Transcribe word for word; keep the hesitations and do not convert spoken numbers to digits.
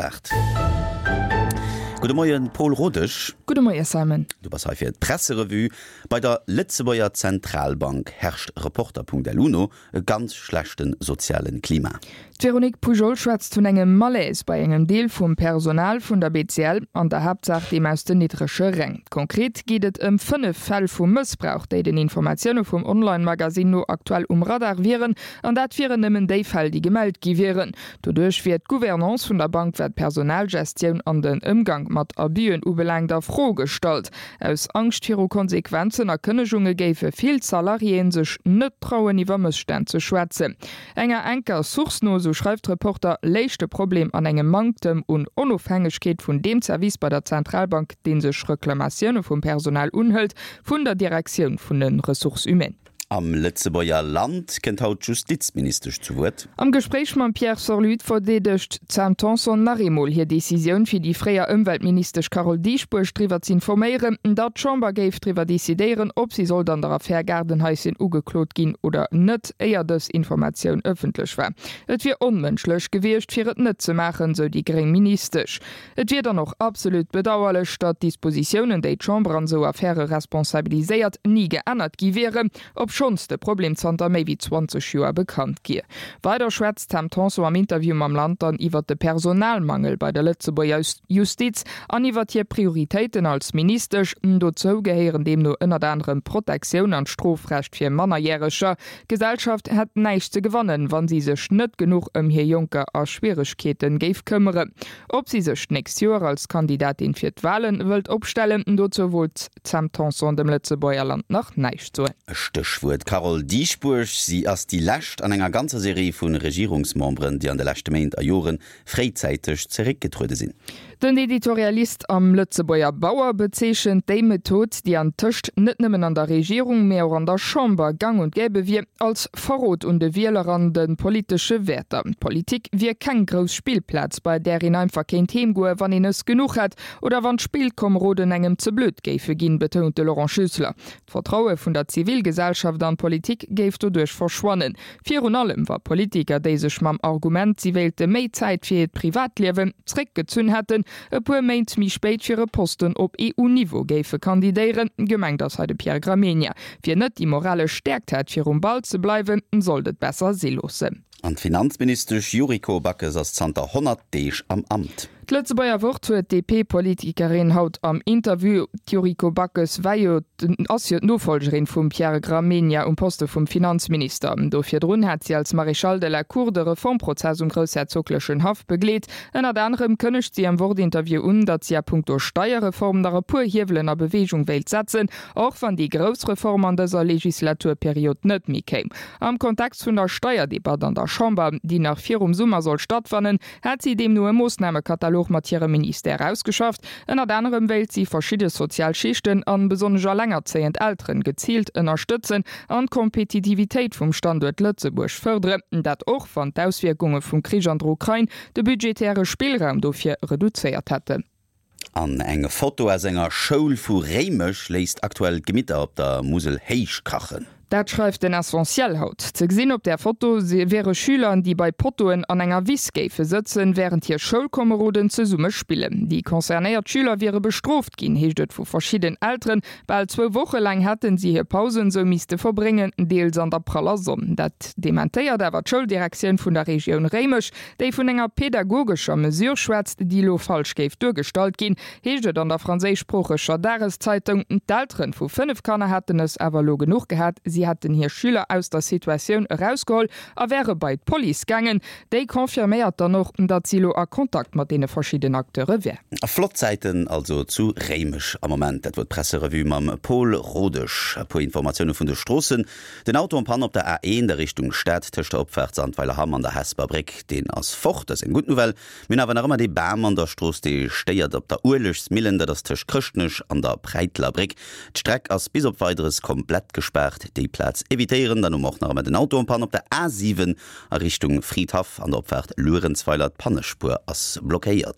aacht. Gudde Moien, Paul Rodesch. Gudde Moie Simon. Du bass hei fir d'Presserevue. Bei der Lëtzebuerger Zentralbank herrscht Reporter.lu no e ganz schlechte soziale Klima. D'Véronique Poujol schwätzt vun engem Malaise bei engem Deel vum Personal vun der B C L, an der Haaptsaach deem aus den niddrege Räng. Konkret geet et ëm fënnef Fäll vu Mëssbrauch, déi den Informatioune vum Online-Magasinn no aktuell um Radar wieren, an dat wieren nëmmen déi Fäll, déi gemellt gi wieren. Doduerch wier d'Gouvernance vun der Bank, wat d'Personalgestioun an den Ëmgank mat Abüen ubelaangt, a Fro gestallt. Aus Angscht viru Konsequenzen a Kënnegunge géife vill Salariéen sech net trauen, iwwer Mësstänn ze schwätzen. Enger enker Source no, sou schreift Reporter, léich de Problem an engem Manktem un Onofhängegkeet vun deem Service bei der Zentralbank, dee sech Reklamatioune vum Personal unhëlt, vun der Direktioun vun de Ressources humaines. Am Lëtzebuerger Land kënnt haut d'Justizministesch zu Wuert. Am Gespréich mam Pierre Sorlut verdeedegt d'Sam Tanson nach eemol hir Decisioun, fir déi fréier Ëmweltministesch Carole Dieschbourg driwwer z'informéieren, datt d'Chamber géif driwwer decidéieren, ob si sollt an der Affär Gaardenhaischen ugeklot ginn oder net, éier dës Informatioun ëffentlech war. Et wier onmënschlech gewiescht, fir et net ze maachen, sou déi gréng Ministesch. Et wier dann och absolut bedauerlech, datt d'Dispositiounen, déi d'Chamber an esou Affäre responsabiliséiert, ni geännert gi wieren, obschonns de Problem zanter méi wéi zwanzeg Joer bekannt wier. Weider schwätzt d'Sam Tanson am Interview mam Land dann iwwert de Personalmangel bei der Lëtzebuerger Justiz an iwwert hir Prioritéiten als Ministesch. Dozou gehéieren deemno ënnert anerem d'Protektioun an d'Strofrecht fir Mannerjäreger. D'Gesellschaft hätt näischt ze gewannen, wa si sech net genuch ëm hir Jonker a Schwieregkeete géif këmmeren. Ob si sech d'nächst Joer als Kandidatin fir d'Walen wëllt opstellen, dozou wollt d'Sam Tanson dem Lëtzebuerger Land nach näischt soen. Stéchwuert Carole Dieschbourg, Si ass déi lescht an enger ganzer Serie vu Regierungsmemberen, déi an de leschte Méint a Jore fréizäiteg zeréckgetruede sinn. Den Editorialist am Lëtzebuerger Bauer bezeechent déi Method, déi antëscht net nëmmen an der Regierung, mä och an der Chamber gang und gäbe wier, als Verrot un de Wieler an de politesche Wäerter. D'Politik wier keng grouss Spillplaz, bei där een einfach kéint heemgoen, wann een es genuch hätt oder wann d'Spillkomeroden engem ze blöd géife ginn, betount de Laurent Schüssler. D'Vertraue vun der Zivilgesellschaft an d'Politik géif doduerch verschwannen. Virun allem wa Politiker, déi sech mam Argument, si wéilte méi Zäit fir hiert Privatliewen, zréckgezunn hätten, e puer Méint méi spéit fir e Posten op E U-Niveau géife kandidéieren. Gemengt ass hei de Pierre Gramegna. Wien net déi moralesch Stäerkt hätt, fir um Ball ze bleiwen, sollt et besser si loossen. An d'Finanzministesch Yuriko Backes ass zanter honnert Deeg am Amt. D'Lëtzebuerger Wort huet d'D P-Politikerin haut am Interview. D'Yuriko Backes war jo ass jo d'Nofollgerin vum Pierre Gramegna um Poste vum Finanzminister. Do virdrun hat si als Maréchale de la Cour de Reformprozess um groussherzoglechen Haff begleet. Ënnert anerem kënnegt si am Wort-Interview un, datt si a punkto Steierreform nach e puer Hiewelen a Beweegung wéilt setzen, och wann déi grouss Reform an dëser Legislaturperiod net méi kéim. Am Kontext vun der Steierdebatt an der Chamber, déi nach virum Summer soll stattfannen, hätt si deemno e Moossnamekatalog mat hirem Ministère ausgeschafft. Ënnert anerem wéilt si verschidde sozial Schichten an besonnesch allengerzéiend Elteren geziilt ënnerstëtzen an d'Kompetitivitéit vum Standuert Lëtzebuerg fërderen. Dat och wann d'Auswierkunge vum Krich an der Ukrain de budgetäre Spillraum dofir reduzéiert hätten. An eng Foto aus enger Schoul vu Réimech léisst aktuell d'Gemitter op der Musel héich kachen. Dat schreift den Essentiel haut. Ze gesinn op där Foto wiere Schüler, déi bei Pottoen an enger Wiss géife sëtzen, wärend hir Schoulkomeroden zesumme spillen. Déi concernéiert Schüler wiere bestrooft ginn, heescht et vu verschidden Elteren. Bal zwou Woche laang hätten si hir Pausen esou misste verbréngen, deels an der praller Sonn. Dat dementéiert awer d'Schouldirektioun vun der Regioun Réimech, déi vun enger pedagogescher Mesure schwätzt, déi elo falsch géif duergestallt ginn, heescht et an der franséischsproocheger Dageszeitung. D'Eltere vu fënnef Kanner hätten es awer elo genuch gehat, si hätten hir Schüler aus der Situatioun erausgeholl a wäre bei d'Police gaangen. Déi confirméiert dann och, datt si elo a Kontakt mat deene verschidden Acteure wär. Flott Zäiten also zu Réimech am Moment. Dat wor d'Presserevue mam Paul Rodesch. E puer Informatioune vun de Stroossen. Den Auto en panne op der A eent a Richtung Stad tëscht der Opfaart Sandweiler-Hamm an der Hesper Bréck, deen ass fort. Dat ass eng gutt Nouvelle. Mir hunn awer nach ëmmer dee Bam an der Strooss, dee stéiert op der Uelegsmillen. Dat ass tëscht Chrëschtnech an der Präiteler Bréck. D'Streck ass bis op Weideres komplett gespaart. Déi Plaz evitéieren. Dann hu mer och nach ëmmer den Auto en panne op der A siwen a Richtung Fridhaff an der Opfaart Luerenzweiler. D'Pannespuer ass blockéiert.